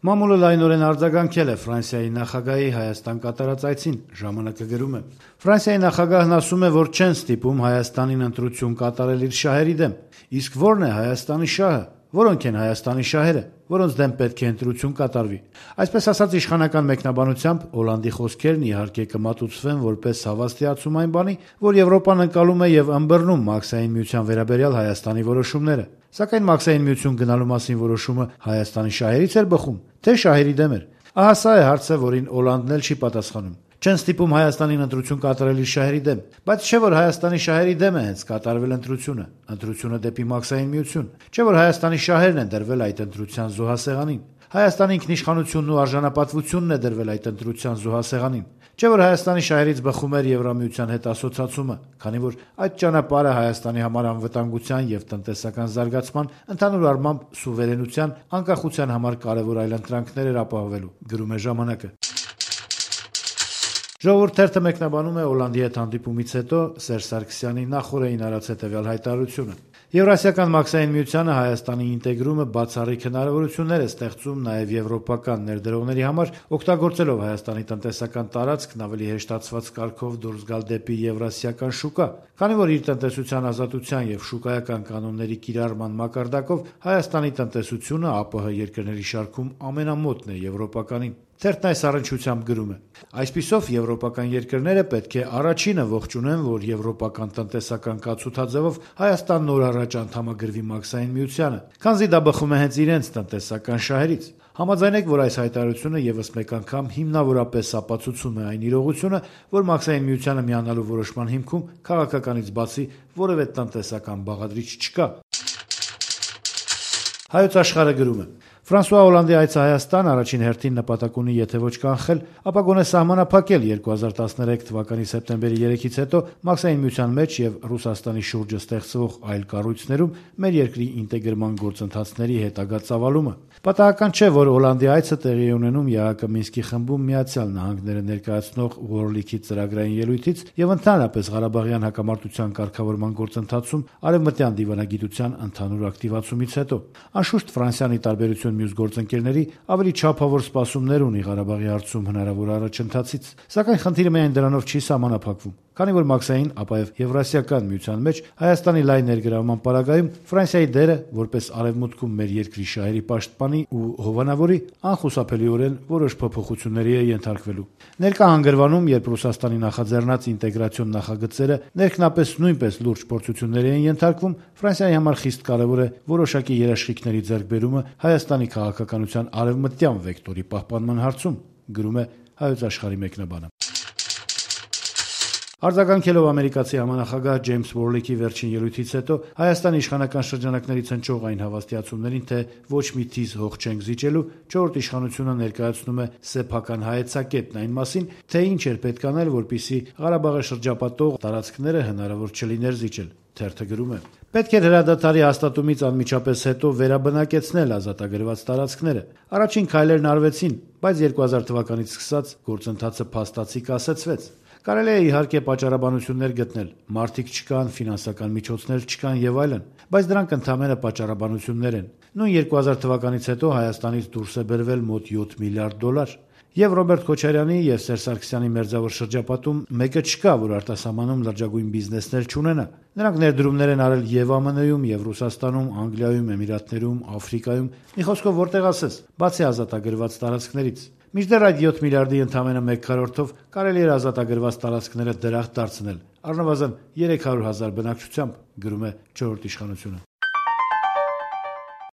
Մամուլը լայնորեն արձագանքել է Ֆրանսիայի նախագահի Հայաստան կատարած այցին, ժամանակը գրում է. Ֆրանսիայի նախագահն ասում է, որ չեն ստիպում Հայաստանին ընտրություն կատարել իր շահերի դեմ, իսկ ո՞րն է Հայաստանի շահը, որոնք են Հայաստանի շահերը, որոնց դեմ պետք է ընտրություն կատարվի։ Այսպես ասած, իշխանական մեկնաբանությամբ Օլանդի խոսքերն իհարկե կմատուցվեն որպես հավաստիացում այն բանի, որ Եվրոպան ընկալում է եւ ըմբռնում Մաքսային միության վերաբերյալ Հայաստանի որոշումները։ Սակայն Մաքսային միություն գնալու մասին որոշումը Հայաստանի շահերից էր բխում, թե շահերի դեմ էր։ Ահա սա է հարցը, որին Օլանդն էլ չի պատասխանում։ Չեն ստիպում Հայաստանին ընտրություն կատարել իր շահերի դեմ, բայց չէ որ Հայաստանի շահերի դեմ է հենց կատարվել ընտրությունը դեպի Մաքսային միություն, չէ որ Հայաստանի շահերն են դրվել այդ ընտրության զոհասեղանին, Հայաստանի ինքնիշխանությունն ու արժանապատվությունն է դրվել այդ ընտրության զոհասեղանին, չէ որ Հայաստանի շահերից բխում էր Եվրամիության հետ ասոցացումը, քանի որ այդ ճանապարհը Հայաստանի համար անվտանգության եւ տնտեսական զարգացման, ընդհանուր առմամբ սուվերենության, անկախության համար կարևոր այլընտրանքներ էր ապահովելու, գրում է ժամանակը։ Ժողովուրդ թերթը մեկնաբանում է Օլանդի հետ հանդիպումից հետո Սերժ Սարգսյանի նախօրեին արած հետևյալ հայտարարությունը. Եվրասիական Մաքսային միությանը Հայաստանի ինտեգրումը բացառիկ հնարավորություններ է ստեղծում նաև եվրոպական ներդրողների համար, օգտագործելով Հայաստանի տնտեսական տարածքն ավելի հեշտացված կարգով դուրս գալ դեպի եվրասիական շուկա, քանի որ իր տնտեսության ազատության եւ շուկայական կանոնների կիրառման մակարդակով Հայաստանի տնտեսությունը ԱՊՀ երկրների շարքում ամենամոտն է եվրոպականին։ Թերթն այս առնչությամբ գրում է. Այսպիսով եվրոպական երկրները պետք է առաջինը ողջունեն, որ եվրոպական տնտեսական կացութաձևով Հայաստան նոր առաջ անդամագրվի Մաքսային միությանը, քանզի դա բխում է հենց իրենց տնտեսական շահերից։ Համաձայնեք, որ այս հայտարարությունը եւս մեկ անգամ հիմնավորապես ապացուցում է այն իրողությունը, որ Մաքսային միությանը միանալու որոշման հիմքում քաղաքականից բացի որևէ տնտեսական բաղադրիչ չկա։ Հայոց աշխարհը գրում է. Ֆրանսուଆ Օլանդի այցը Հայաստան առաջին հերթին նպատակ ունի, եթե ոչ կանխել, ապա գոնե սահմանափակել 2013 թվականի սեպտեմբերի 3-ից հետո Մաքսային միության մեջ եւ Ռուսաստանի շուրջը ստեղծվող այլ կառույցներում մեր երկրի ինտեգրման գործընթացների հետագա ծավալումը։ Պատահական չէ, որ Օլանդի այցը տեղի է ունենում ԵԱՀԿ Մինսկի խմբում Միացյալ Նահանգները ներկայացնող Ուորլիքի ծրագրային ելույթից եւ ընդհանրապես Ղարաբաղյան հակամարտության կարգավորման գործընթացում արևմտյան դիվանագիտության ընդհանուր ակտիվացումից հետո։ Անշուշտ Ֆրանսիան ի տարբերություն մյուս գործընկերների ավելի չափավոր սպասումներ ունի Ղարաբաղի հարցում հնարավոր առաջընթացից, սակայն խնդիրը միայն դրանով չի սահմանափակվում, քանի որ Մաքսային, ապա եւ Եվրասիական միության մեջ Հայաստանի լայն ներգրավման պարագայում Ֆրանսիայի դերը որպես արևմուտքում մեր երկրի շահերի պաշտպանի ու հովանավորի անխուսափելիորեն որոշ փոփոխությունների է ենթարկվելու։ Ներկա հանգրվանում, երբ Ռուսաստանի նախաձեռնած ինտեգրացիոն նախագծերը ներքնապես նույնպես լուրջ փորձությունների են ենթարկվում, Ֆրանսիայի համար խիստ կարևոր է որոշակի երաշխիքների ձեռքբերումը Հայաստանի քաղաքականության արևմտյան վեկտորի պահպանման հարցում, գրում է Հայոց աշխարհի մեկնաբանը։ Արձագանքելով ամերիկացի համանախագահ Ջեյմս Ուորլիքի վերջին ելույթից հետո Հայաստանի իշխանական շրջանակներից հնչող այն հավաստիացումներին, թե ոչ մի թիզ հող չենք զիջելու, չորրորդ իշխանությունը ներկայացնում է սեփական հայեցակետն այն մասին, թե ինչ էր պետք անել, որպեսզի Ղարաբաղը շրջապատող տարածքները հնարավոր չլիներ զիջել։ Թերթը գրում է. Պետք էր հրադադարի հաստատումից անմիջապես հետո վերաբնակեցնել ազատագրված տարածքները։ Առաջին քայլերն արվեցին, բայց 2000 թվականից սկսած գործընթացը փաստացի կասեցվեց։ Կարելի է իհարկե պատճառաբանություններ գտնել, մարդիկ չկան, ֆինանսական միջոցներ չկան եւ այլն, բայց դրանք ընդհանրապես պատճառաբանություններ են։ Նույն 2000 թվականից հետո Հայաստանից դուրս է բերվել մոտ 7 միլիարդ դոլար։ Եվ Ռոբերտ Քոչարյանի եւ Սերժ Սարգսյանի մերձավոր շրջապատում մեկը չկա, որ արտասահմանում լրջագույն բիզնեսներ չունենա։ Նրանք ներդրումներ են արել եւ ԱՄՆ-ում, եւ Ռուսաստանում, Անգլիայում, Էմիրատներում, Աֆրիկայում, մի խոսքով որտեղ ասես, բացի ազատագրված տարածքներից։ Մինչդեռ այդ 7 միլիարդի ընդամենը 1/4-ով կարելի էր ազատագրված տարածքները դրախտ դարձնել, առնվազն 300,000 բնակչությամբ, գրում է չորրորդ իշխանությունը։